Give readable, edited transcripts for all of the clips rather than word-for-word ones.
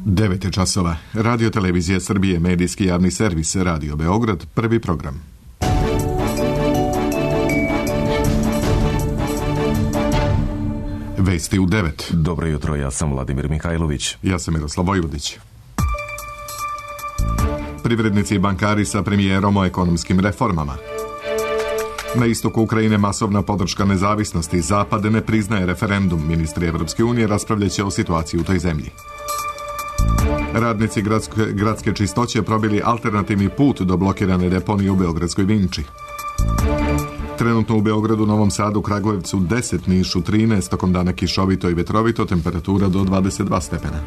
9 časova. Radio Televizija Srbije, medijski javni servis, Radio Beograd, prvi program. Vesti u 9. Dobro jutro, ja sam Vladimir Mihajlović. Ja sam Miroslav Vojvodić. Privrednici i bankari sa premijerom o ekonomskim reformama. Na istoku Ukrajine masovna podrška nezavisnosti. Zapad ne priznaje referendum. Ministri Evropske unije raspravljaće o situaciji u toj zemlji. Radnici gradske čistoće probili alternativni put do blokirane deponije u Beogradskoj Vinči. Trenutno u Beogradu, Novom Sadu, Kragujevcu 10, Nišu 13, tokom dana kišovito i vetrovito, temperatura do 22 stepena.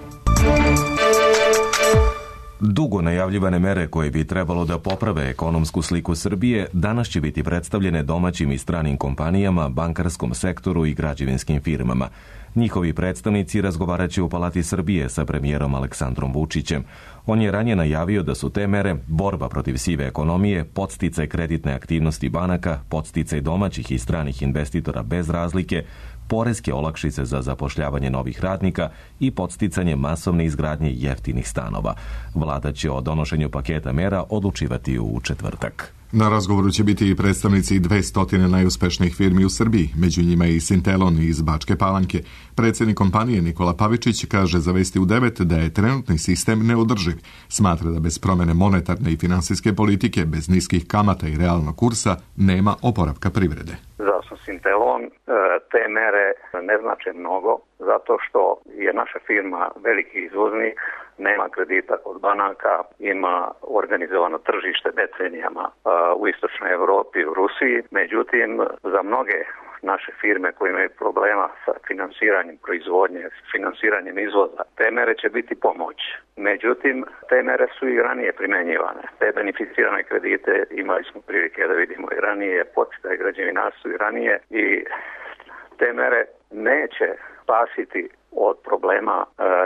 Dugo najavljivane mere koje bi trebalo da poprave ekonomsku sliku Srbije danas će biti predstavljene domaćim i stranim kompanijama, bankarskom sektoru i građevinskim firmama. Njihovi predstavnici razgovarat će u Palati Srbije sa premijerom Aleksandrom Vučićem. On je ranije najavio da su te mere borba protiv sive ekonomije, podsticaj kreditne aktivnosti banaka, podsticaj domaćih i stranih investitora bez razlike, poreske olakšice za zapošljavanje novih radnika i podsticanje masovne izgradnje jeftinih stanova. Vlada će o donošenju paketa mera odlučivati u četvrtak. Na razgovoru će biti i predstavnici 200 najuspešnijih firmi u Srbiji, među njima i Sintelon iz Bačke Palanke. Predsjednik kompanije Nikola Pavičić kaže za Vesti u 9 da je trenutni sistem neodrživ. Smatra da bez promjene monetarne i finansijske politike, bez niskih kamata i realnog kursa, nema oporavka privrede. Za Sintelon te mere ne znače mnogo, zato što je naša firma veliki izvoznik, nema kredita kod banaka, ima organizovano tržište decenijama u istočnoj Europi, u Rusiji. Međutim, za mnoge naše firme koje imaju problema sa finansiranjem proizvodnje, finansiranjem izvoza, te mere će biti pomoć. Međutim, te mere su i ranije primjenjivane. Te beneficirane kredite imali smo prilike da vidimo i ranije, podsticaj građevinarstvu i ranije, i te mere neće spasiti od problema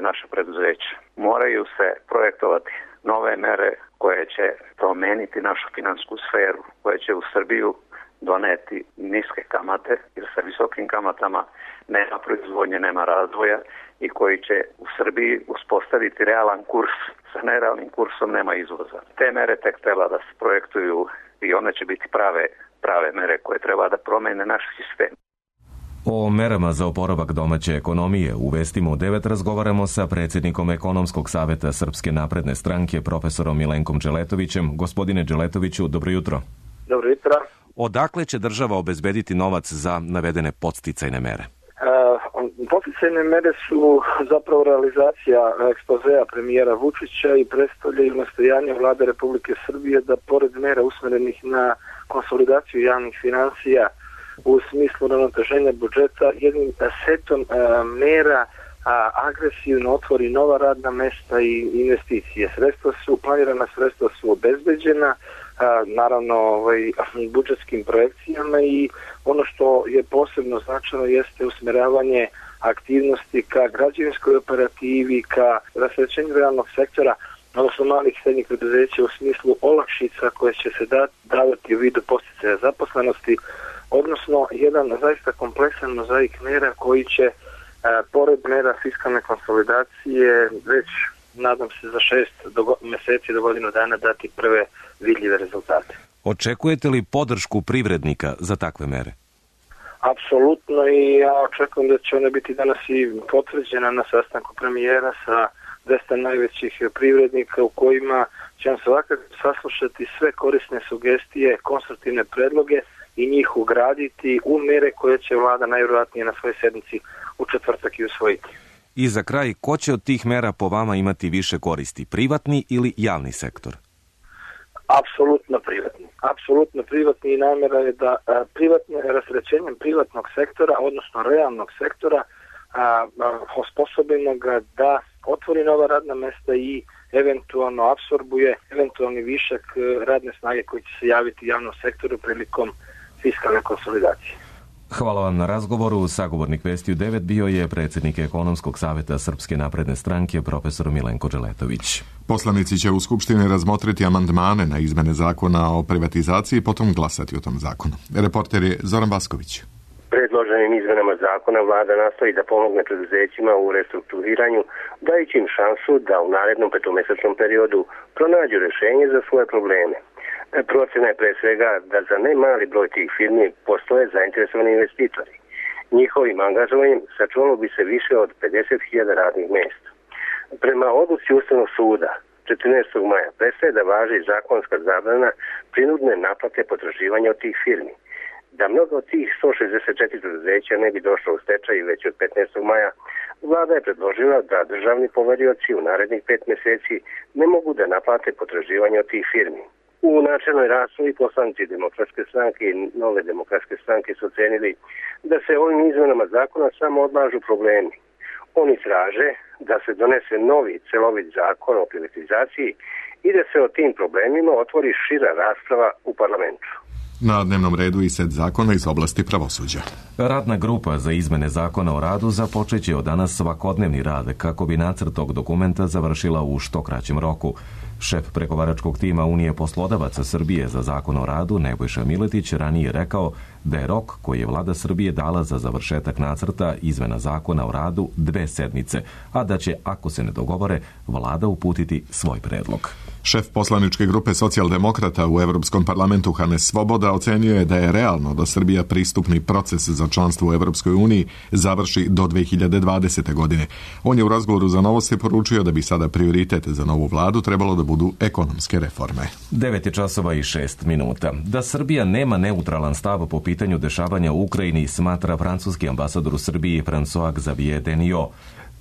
naše preduzeća. Moraju se projektovati nove mere koje će promeniti našu finansku sferu, koje će u Srbiju doneti niske kamate, jer sa visokim kamatama nema proizvodnje, nema razvoja, i koji će u Srbiji uspostaviti realan kurs. Sa nerealnim kursom nema izvoza. Te mere tek treba da se projektuju i one će biti prave mere koje treba da promene naš sistem. O merama za oporavak domaće ekonomije u Vestima u 9 razgovaramo sa predsjednikom Ekonomskog saveta Srpske napredne stranke, profesorom Milenkom Dželetovićem. Gospodine Dželetoviću, dobro jutro. Dobro jutro. Odakle će država obezbediti novac za navedene podsticajne mere? Podsticajne mere su zapravo realizacija ekspozea premijera Vučića i predstavljaju nastojanje Vlade Republike Srbije da pored mera usmerenih na konsolidaciju javnih financija u smislu uravnoteženja budžeta, jednim setom mera agresivno otvori nova radna mesta i investicije. Planirana sredstva su obezbeđena, naravno budžetskim projekcijama, i ono što je posebno značajno jeste usmeravanje aktivnosti ka građevinskoj operativi, ka rasterećenju realnog sektora, odnosno malih i srednjih preduzeća u smislu olakšica koje će se davati u vidu podsticaja zaposlenosti, odnosno jedan zaista kompleksan mozaik mera koji će pored mera fiskalne konsolidacije već, nadam se, za 6 mjeseci do godinu dana dati prve vidljive rezultate. Očekujete li podršku privrednika za takve mere? Apsolutno, i ja očekujem da će ona biti danas i potvrđena na sastanku premijera sa 200 najvećih privrednika, u kojima će svakako saslušati sve korisne sugestije, konstruktivne predloge i njih ugraditi u mere koje će vlada najvjerojatnije na svojoj sednici u četvrtak i usvojiti. I za kraj, ko će od tih mera po vama imati više koristi, privatni ili javni sektor? Apsolutno privatni, i namjera je da rasterećenjem privatnog sektora, odnosno realnog sektora, osposobimo ga da otvori nova radna mesta i eventualno apsorbuje eventualni višak radne snage koji će se javiti javnom sektoru prilikom fiskalne konsolidacije. Hvala vam na razgovoru. Sagovornik Vesti u 9 bio je predsjednik Ekonomskog saveta Srpske napredne stranke, profesor Milenko Dželetović. Poslanici će u Skupštini razmotriti amandmane na izmene zakona o privatizaciji i potom glasati o tom zakonu. Reporter je Zoran Vasković. Predloženim izmenama zakona vlada nastoji da pomogne preduzećima u restrukturiranju, dajući im šansu da u narednom petomesečnom periodu pronađu rješenje za svoje probleme. Procena je pre svega da za ne mali broj tih firmi postoje zainteresovani investitori. Njihovim angažovanjem sačuvalo bi se više od 50.000 radnih mjesta. Prema odluci Ustavnog suda 14. maja prestaje da važi zakonska zabrana prinudne naplate potraživanja od tih firmi. Da mnogo od tih 164 preduzeća ne bi došlo u stečaj već od 15. maja, vlada je predložila da državni poverioci u narednih 5 mjeseci ne mogu da naplate potraživanje od tih firmi. U načelnoj raspravi poslanici Demokratske stranke i Nove demokratske stranke su ocenili da se ovim izmenama zakona samo odlažu problemi. Oni traže da se donese novi celovit zakon o privatizaciji i da se o tim problemima otvori šira rasprava u parlamentu. Na dnevnom redu i set zakona iz oblasti pravosuđa. Radna grupa za izmene zakona o radu započeće od danas svakodnevni rad kako bi nacrt tog dokumenta završila u što kraćem roku. Šef pregovaračkog tima Unije poslodavaca Srbije za zakon o radu Nebojša Miletić ranije rekao da je rok koji je vlada Srbije dala za završetak nacrta izmena zakona o radu 2 sedmice, a da će, ako se ne dogovore, vlada uputiti svoj predlog. Šef poslaničke grupe socijaldemokrata u Europskom parlamentu Hannes Svoboda ocenio je da je realno da Srbija pristupni proces za članstvo u Europskoj uniji završi do 2020. godine. On je u razgovoru za Novosti poručio da bi sada prioritet za novu vladu trebalo da budu ekonomske reforme. 9:06. Da Srbija nema neutralan stav po pitanju dešavanja u Ukrajini smatra francuski ambasador u Srbiji François-Xavier Deniot.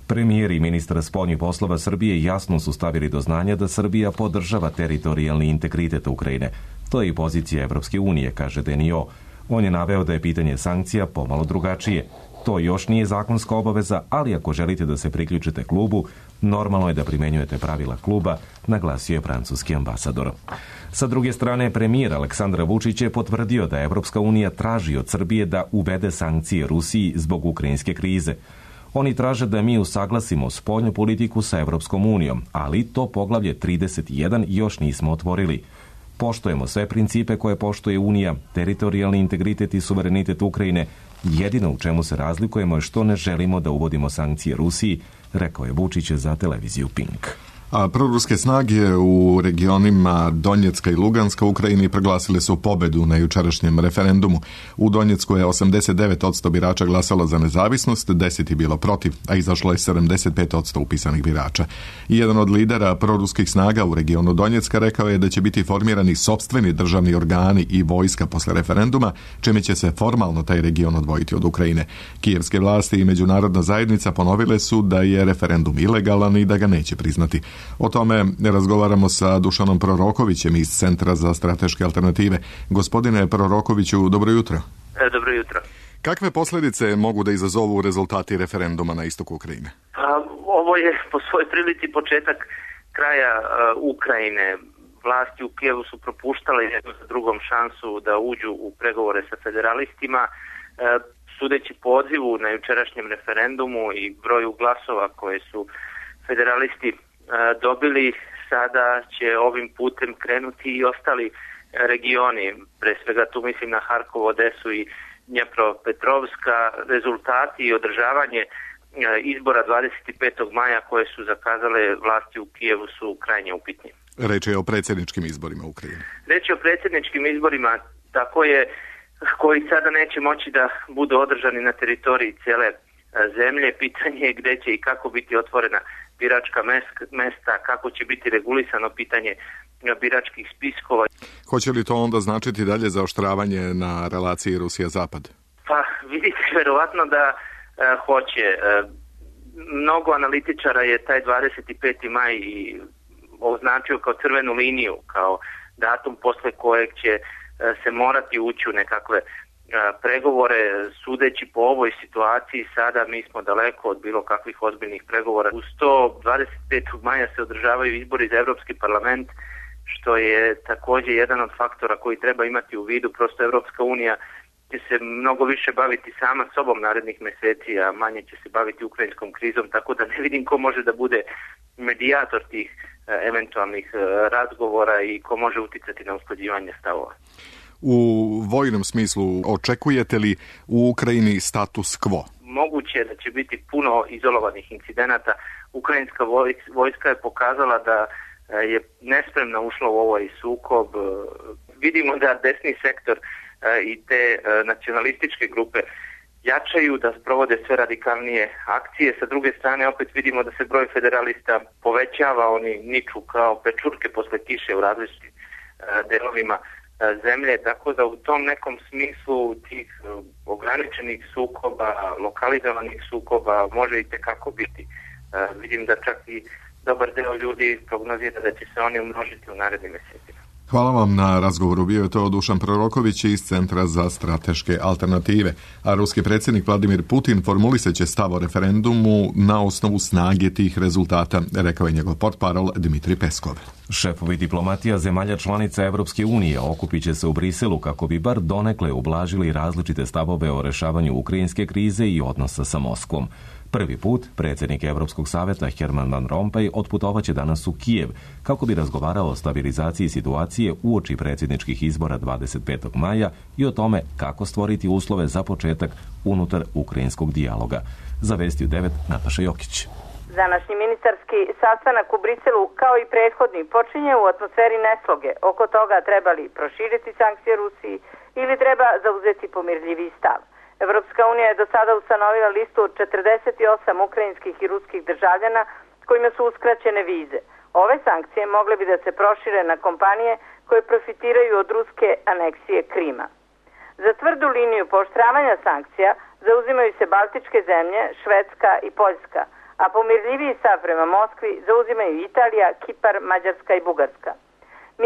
Premijer i ministar spoljnih poslova Srbije jasno su stavili do znanja da Srbija podržava teritorijalni integritet Ukrajine. To je i pozicija Evropske unije, kaže Deniot. On je naveo da je pitanje sankcija pomalo drugačije. To još nije zakonska obaveza, ali ako želite da se priključite klubu, normalno je da primenjujete pravila kluba, naglasio je francuski ambasador. Sa druge strane, premijer Aleksandar Vučić je potvrdio da Evropska unija traži od Srbije da uvede sankcije Rusiji zbog ukrajinske krize. Oni traže da mi usaglasimo spoljnu politiku sa Evropskom unijom, ali to poglavlje 31 još nismo otvorili. Poštujemo sve principe koje poštuje Unija, teritorijalni integritet i suverenitet Ukrajine. Jedino u čemu se razlikujemo je što ne želimo da uvodimo sankcije Rusiji, rekao je Vučić za televiziju Pink. A proruske snage u regionima Donjecka i Luganska u Ukrajini proglasile su pobedu na jučerašnjem referendumu. U Donjecku je 89% birača glasalo za nezavisnost, 10 je bilo protiv, a izašlo je 75% upisanih birača. I jedan od lidera proruskih snaga u regionu Donjecka rekao je da će biti formirani sopstveni državni organi i vojska posle referenduma, čime će se formalno taj region odvojiti od Ukrajine. Kijevske vlasti i međunarodna zajednica ponovile su da je referendum ilegalan i da ga neće priznati. O tome razgovaramo sa Dušanom Prorokovićem iz Centra za strateške alternative. Gospodine Prorokoviću, dobro jutro. Dobro jutro. Kakve posljedice mogu da izazovu rezultati referenduma na istoku Ukrajine? Ovo je po svojoj prilici početak kraja Ukrajine. Vlasti u Kijevu su propuštale jednu za drugom šansu da uđu u pregovore sa federalistima. Sudeći pozivu na jučerašnjem referendumu i broju glasova koje su federalisti dobili, sada će ovim putem krenuti i ostali regioni, pre svega tu mislim na Harkov, Odesu i Dnjepropetrovska. Rezultati i održavanje izbora 25. maja koje su zakazale vlasti u Kijevu su krajnje upitni. Reč je o predsjedničkim izborima u Ukrajini. Reč je o predsjedničkim izborima, tako je, koji sada neće moći da budu održani na teritoriji cijele zemlje. Pitanje je gdje će i kako biti otvorena biračka mesta, kako će biti regulisano pitanje biračkih spiskova. Hoće li to onda značiti dalje zaoštravanje na relaciji Rusija-Zapad? Pa vidite, verovatno da hoće. Mnogo analitičara je taj 25. maj označio kao crvenu liniju, kao datum posle kojeg će se morati ući u nekakve pregovore. Sudeći po ovoj situaciji sada mi smo daleko od bilo kakvih ozbiljnih pregovora. Uz to 25. maja se održavaju izbori za Europski parlament, što je također jedan od faktora koji treba imati u vidu. Prosto Europska unija će se mnogo više baviti sama sobom narednih mjeseci, a manje će se baviti ukrajinskom krizom, tako da ne vidim ko može da bude medijator tih eventualnih razgovora i ko može uticati na usklađivanje stavova. U vojnom smislu, očekujete li u Ukrajini status quo? Moguće je da će biti puno izolovanih incidenata. Ukrajinska vojska je pokazala da je nespremna ušla u ovaj sukob. Vidimo da desni sektor i te nacionalističke grupe jačaju, da sprovode sve radikalnije akcije. Sa druge strane opet vidimo da se broj federalista povećava, oni niču kao pečurke posle kiše u različitim delovima zemlje, tako da u tom nekom smislu tih ograničenih sukoba, lokalizovanih sukoba može i tekako biti. Vidim da čak i dobar deo ljudi prognozira da će se oni umnožiti u narednim mjesecima. Hvala vam na razgovoru. Bio je to Dušan Proroković iz Centra za strateške alternative. A ruski predsjednik Vladimir Putin formulisat će stav o referendumu na osnovu snage tih rezultata, rekao je njegov portparol Dmitrij Peskov. Šefovi diplomatija zemalja članica Evropske unije okupit će se u Briselu kako bi bar donekle ublažili različite stavove o rešavanju ukrajinske krize i odnosa sa Moskvom. Prvi put predsjednik Evropskog savjeta Herman Van Rompuy otputovaće danas u Kijev kako bi razgovarao o stabilizaciji situacije uoči predsjedničkih izbora 25. maja i o tome kako stvoriti uslove za početak unutar ukrajinskog dijaloga. Za Vesti u 9 Nataša Jokić. Današnji ministarski sastanak u Briselu, kao i prethodni, počinje u atmosferi nesloge oko toga treba li proširiti sankcije Rusiji ili treba zauzeti pomirljiviji stav. Evropska unija je do sada ustanovila listu od 48 ukrajinskih i ruskih državljana kojima su uskraćene vize. Ove sankcije mogle bi da se prošire na kompanije koje profitiraju od ruske aneksije Krima. Za tvrdu liniju pooštravanja sankcija zauzimaju se Baltičke zemlje, Švedska i Poljska, a pomirljiviji stav prema Moskvi zauzimaju Italija, Kipar, Mađarska i Bugarska.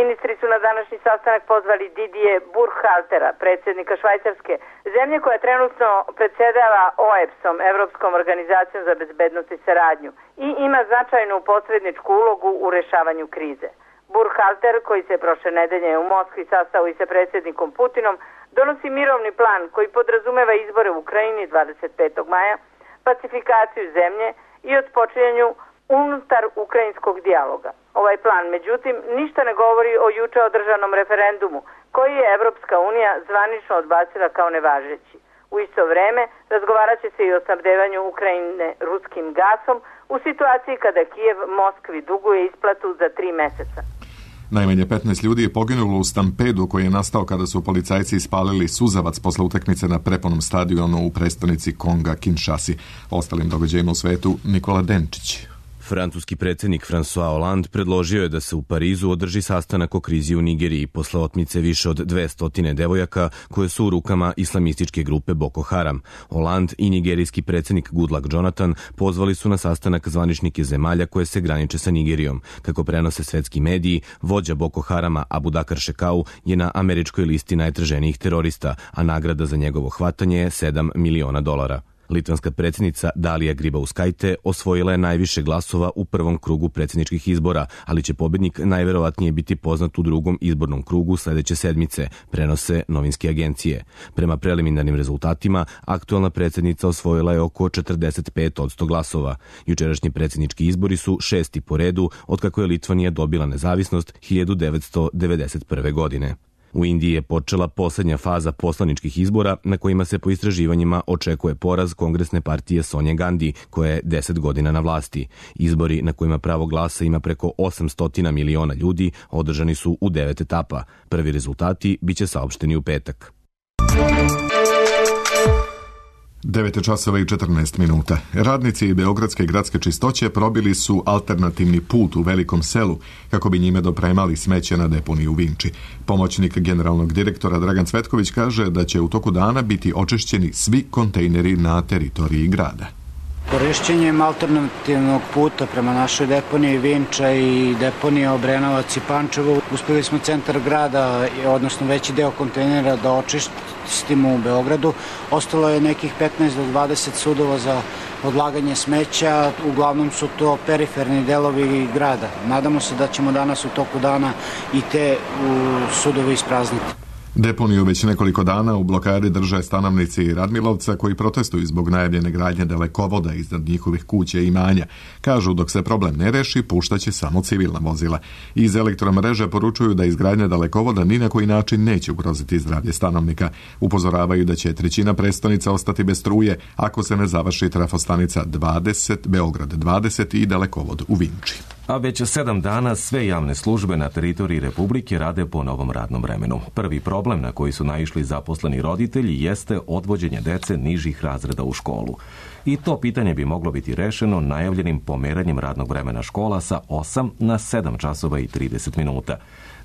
Ministri su na današnji sastanak pozvali Didier Burkhaltera, predsjednika Švajcarske, zemlje koja trenutno predsjedava OEBS-om, Evropskom organizacijom za bezbednost i saradnju, i ima značajnu posredničku ulogu u rešavanju krize. Burkhalter, koji se prošle nedelje u Moskvi sastao i sa predsjednikom Putinom, donosi mirovni plan koji podrazumeva izbore u Ukrajini 25. maja, pacifikaciju zemlje i otpočinjanju unutar ukrajinskog dijaloga. Ovaj plan, međutim, ništa ne govori o juče održanom referendumu, koji je Evropska unija zvanično odbacila kao nevažeći. U isto vreme razgovarat će se i o snabdevanju Ukrajine ruskim gasom u situaciji kada Kijev Moskvi duguje isplatu za 3 meseca. Najmanje 15 ljudi je poginulo u stampedu koji je nastao kada su policajci ispalili suzavac posle utakmice na prepunom stadionu u prestonici Konga Kinshasi. Ostalim događajima u svetu Nikola Denčić. Francuski predsjednik François Hollande predložio je da se u Parizu održi sastanak o krizi u Nigeriji posle otmice više od 200 devojaka koje su u rukama islamističke grupe Boko Haram. Hollande i nigerijski predsjednik Goodluck Jonathan pozvali su na sastanak zvaničnike zemalja koje se graniče sa Nigerijom. Kako prenose svetski mediji, vođa Boko Harama Abubakar Shekau je na američkoj listi najtraženijih terorista, a nagrada za njegovo hvatanje je $7 miliona. Litvanska predsjednica Dalija Grybauskaitė osvojila je najviše glasova u prvom krugu predsjedničkih izbora, ali će pobjednik najverovatnije biti poznat u drugom izbornom krugu sljedeće sedmice, prenose novinske agencije. Prema preliminarnim rezultatima, aktualna predsjednica osvojila je oko 45% glasova. Jučerašnji predsjednički izbori su 6. po redu otkako je Litvanija dobila nezavisnost 1991. godine. U Indiji je počela posljednja faza poslaničkih izbora na kojima se po istraživanjima očekuje poraz kongresne partije Sonje Gandhi, koja je 10 godina na vlasti. Izbori na kojima pravo glasa ima preko 800 miliona ljudi održani su u 9 etapa. Prvi rezultati biće saopšteni u petak. 9:14. Radnici Beogradske gradske čistoće probili su alternativni put u Velikom Selu kako bi njime dopremali smeće na deponiju u Vinči. Pomoćnik generalnog direktora Dragan Cvetković kaže da će u toku dana biti očišćeni svi kontejneri na teritoriji grada. Korišćenjem alternativnog puta prema našoj deponiji Vinča i deponiji Obrenovac i Pančevo uspjeli smo centar grada, odnosno veći deo kontejnera da očistimo u Beogradu. Ostalo je nekih 15 do 20 sudova za odlaganje smeća, uglavnom su to periferni delovi grada. Nadamo se da ćemo danas u toku dana i te sudove isprazniti. Deponiju već nekoliko dana u blokadi drže stanovnici Radmilovca koji protestuju zbog najavljene gradnje dalekovoda iznad njihovih kuća i imanja. Kažu dok se problem ne reši, puštaće samo civilna vozila. Iz elektromreže poručuju da izgradnja dalekovoda ni na koji način neće ugroziti zdravlje stanovnika. Upozoravaju da će trećina prestonica ostati bez struje ako se ne završi trafostanica 20, Beograd 20 i dalekovod u Vinči. A već 7 dana sve javne službe na teritoriji Republike rade po novom radnom vremenu. Prvi problem na koji su naišli zaposleni roditelji jeste odvođenje dece nižih razreda u školu. I to pitanje bi moglo biti rešeno najavljenim pomeranjem radnog vremena škola sa 8 na 7 časova i 30 minuta.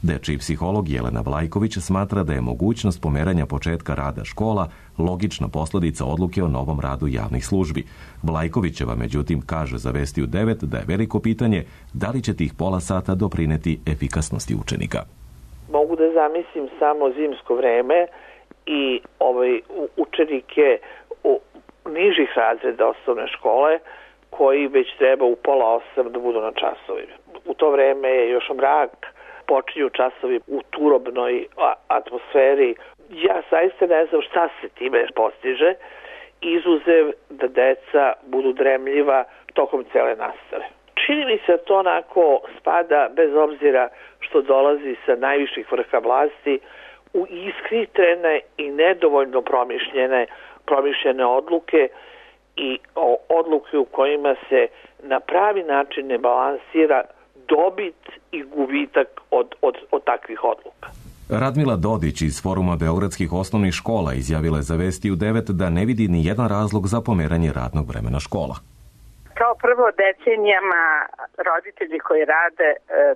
Dečiji psiholog Jelena Vlajković smatra da je mogućnost pomeranja početka rada škola logična posljedica odluke o novom radu javnih službi. Vlajkovićeva, međutim, kaže za Vesti u 9 da je veliko pitanje da li će tih pola sata doprineti efikasnosti učenika. Mogu da zamislim samo zimsko vreme i učenike nižih razreda osnovne škole koji već treba u 7:30 da budu na časovima. U to vreme je još mrak, počinju časovi u turobnoj atmosferi. Ja zaista ne znam šta se time postiže, izuzev da deca budu dremljiva tokom cele nastave. Čini mi se da to onako spada, bez obzira što dolazi sa najviših vrha vlasti, u ishitrene i nedovoljno promišljene odluke i odluke u kojima se na pravi način ne balansira dobit i gubitak od takvih odluka. Radmila Dodić iz Foruma beogradskih osnovnih škola izjavila je za Vesti u 9 da ne vidi ni jedan razlog za pomeranje radnog vremena škola. Kao prvo, decenijama roditelji koji rade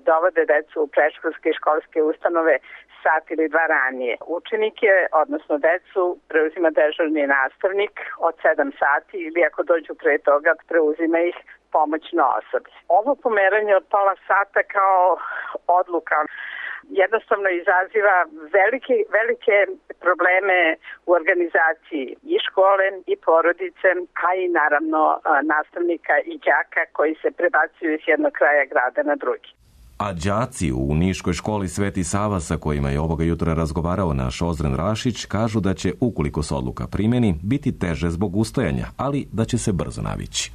dovode decu u predškolske i školske ustanove sat ili dva ranije. Učenike, odnosno decu, preuzima dežurni nastavnik od 7 sati ili ako dođu pre toga, preuzima ih pomoćno osoblje. Ovo pomeranje od pola sata kao odluka jednostavno izaziva velike probleme u organizaciji i škole i porodice, a i naravno nastavnika i đaka koji se prebacuju iz jednog kraja grada na drugi. A đaci u Niškoj školi Sveti Sava, sa kojima je ovoga jutra razgovarao naš Ozren Rašić, kažu da će, ukoliko se odluka primeni, biti teže zbog ustajanja, ali da će se brzo navići.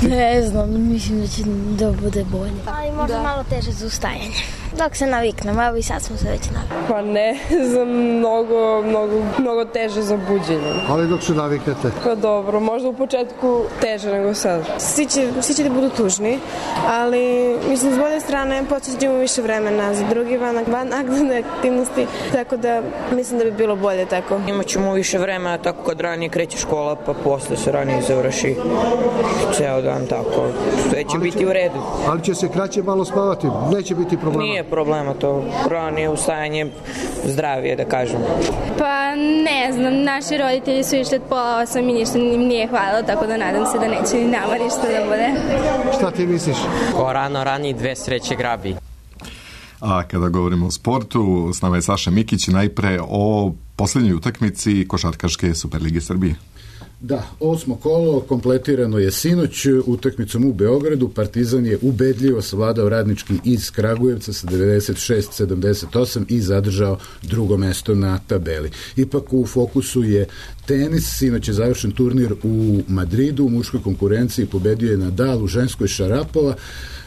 Ne znam, mislim da će da bude bolje. Ali možda malo teže za ustajanje. Dok se naviknemo, evo i sad smo se već navikli. Pa ne, za mnogo teže za buđenje. Ali dok se naviknete? Pa dobro, možda u početku teže nego sad. Svi će da budu tužni, ali mislim s bolje strane počećemo više vremena za drugi vanaktivne aktivnosti, tako da mislim da bi bilo bolje tako. Imaćemo više vremena tako kad ranije kreće škola, pa posle se ranije završi ceo dan tako. Sve će biti u redu. Ali će se kraće malo spavati, neće biti problema? Nije problema to, ranije ustajanje zdravije da kažem. Pa ne znam, naši roditelji su išli od 7:30 i ništa im nije hvalilo, tako da nadam se da neće ni nama ništa da bude. Šta ti misliš? Ko rani dve sreće grabi. A kada govorimo o sportu, s nama je Saša Mikić, najpre o posljednjoj utakmici Košarkaške Superlige Srbije. Da, 8. kolo kompletirano je sinoć utakmicom u Beogradu. Partizan je ubedljivo savladao Radnički iz Kragujevca sa 96-78 i zadržao drugo mesto na tabeli. Ipak u fokusu je tenis. Sinoć je završen turnir u Madridu. U muškoj konkurenciji pobedio je Nadal, u ženskoj Šarapova.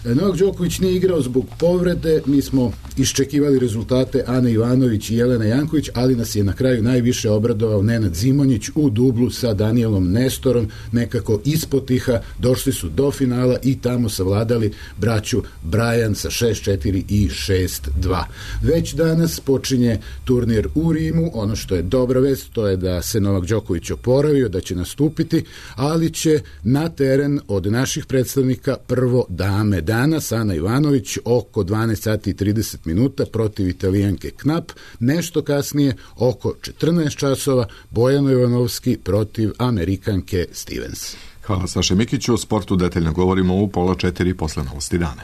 Novak Đoković nije igrao zbog povrede. Mi smo iščekivali rezultate Ane Ivanović i Jelena Janković, ali nas je na kraju najviše obradovao Nenad Zimonjić u dublu sa Danielom Nestorom. Nekako ispotiha došli su do finala i tamo savladali braću Brajan sa 6-4 i 6-2. Već danas počinje turnir u Rimu. Ono što je dobra vest, to je da se Novak Đoković oporavio, da će nastupiti, ali će na teren od naših predstavnika prvo dame danas, Ana Ivanović oko 12 sati i 30 minuta protiv Italijanke Knap, nešto kasnije oko 14 časova Bojano Jovanovski protiv Amerikanke Stevens. Hvala Saše Mikiću, o sportu detaljno govorimo u 3:30 posle novosti dana.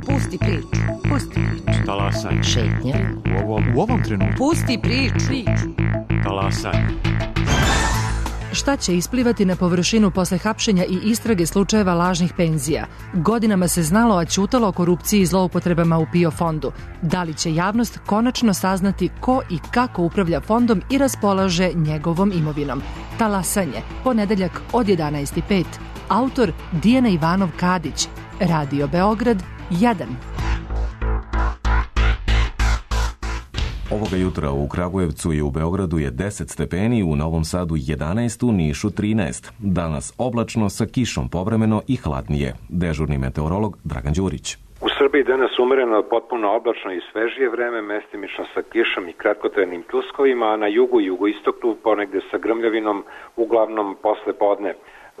Pusti priču. Talasaj. Šetnja. U ovom trenutku. Pusti priču. Talasaj. Šta će isplivati na površinu posle hapšenja i istrage slučajeva lažnih penzija? Godinama se znalo, a ćutalo o korupciji i zloupotrebama u PIO fondu. Da li će javnost konačno saznati ko i kako upravlja fondom i raspolaže njegovom imovinom? Talasanje, ponedeljak od 11:05. Autor Dijana Ivanov-Kadić. Radio Beograd 1. Ovoga jutra u Kragujevcu i u Beogradu je 10 stepeni, u Novom Sadu 11, u Nišu 13. Danas oblačno sa kišom povremeno i hladnije. Dežurni meteorolog Dragan Đurić. U Srbiji danas umereno, potpuno oblačno i svežije vreme, mestimično sa kišom i kratkotrajnim pljuskovima, a na jugu i jugoistoku ponegde sa grmljavinom, uglavnom posle podne.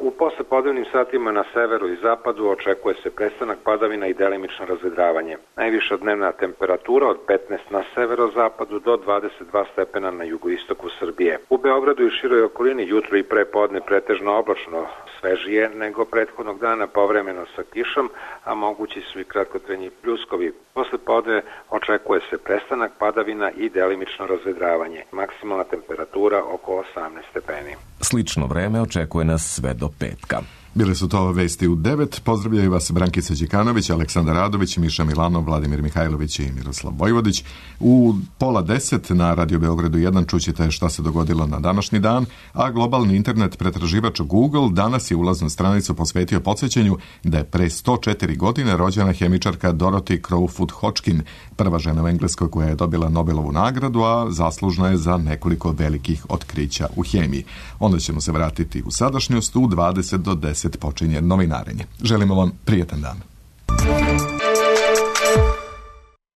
U poslepodnevnim satima na severu i zapadu očekuje se prestanak padavina i delimično razvedravanje. Najviša dnevna temperatura od 15 na severozapadu do 22 stepena na jugoistoku Srbije. U Beogradu i široj okolini jutro i pre podne pretežno oblačno, svežije nego prethodnog dana, povremeno sa kišom, a mogući su i kratkotrajni pljuskovi. Posle podne očekuje se prestanak padavina i delimično razvedravanje. Maksimalna temperatura oko 18 stepeni. Slično vreme očekuje nas sve do petka. Bile su to vesti u 9. Pozdravljaju vas Brankica Đikanović, Aleksandar Radović, Miša Milanov, Vladimir Mihajlović i Miroslav Vojvodić. U 9:30 na Radio Beogradu 1 čućete šta se dogodilo na današnji dan, a globalni internet pretraživač Google danas je ulaznu stranicu posvetio podsjećanju da je pre 104 godine rođena hemičarka Dorothy Crowfoot Hodgkin, prva žena u Engleskoj koja je dobila Nobelovu nagradu, a zaslužna je za nekoliko velikih otkrića u hemiji. Onda ćemo se vratiti u sadašnjost, u 20 do 10 počinje novinarenje. Želimo vam prijetan dan.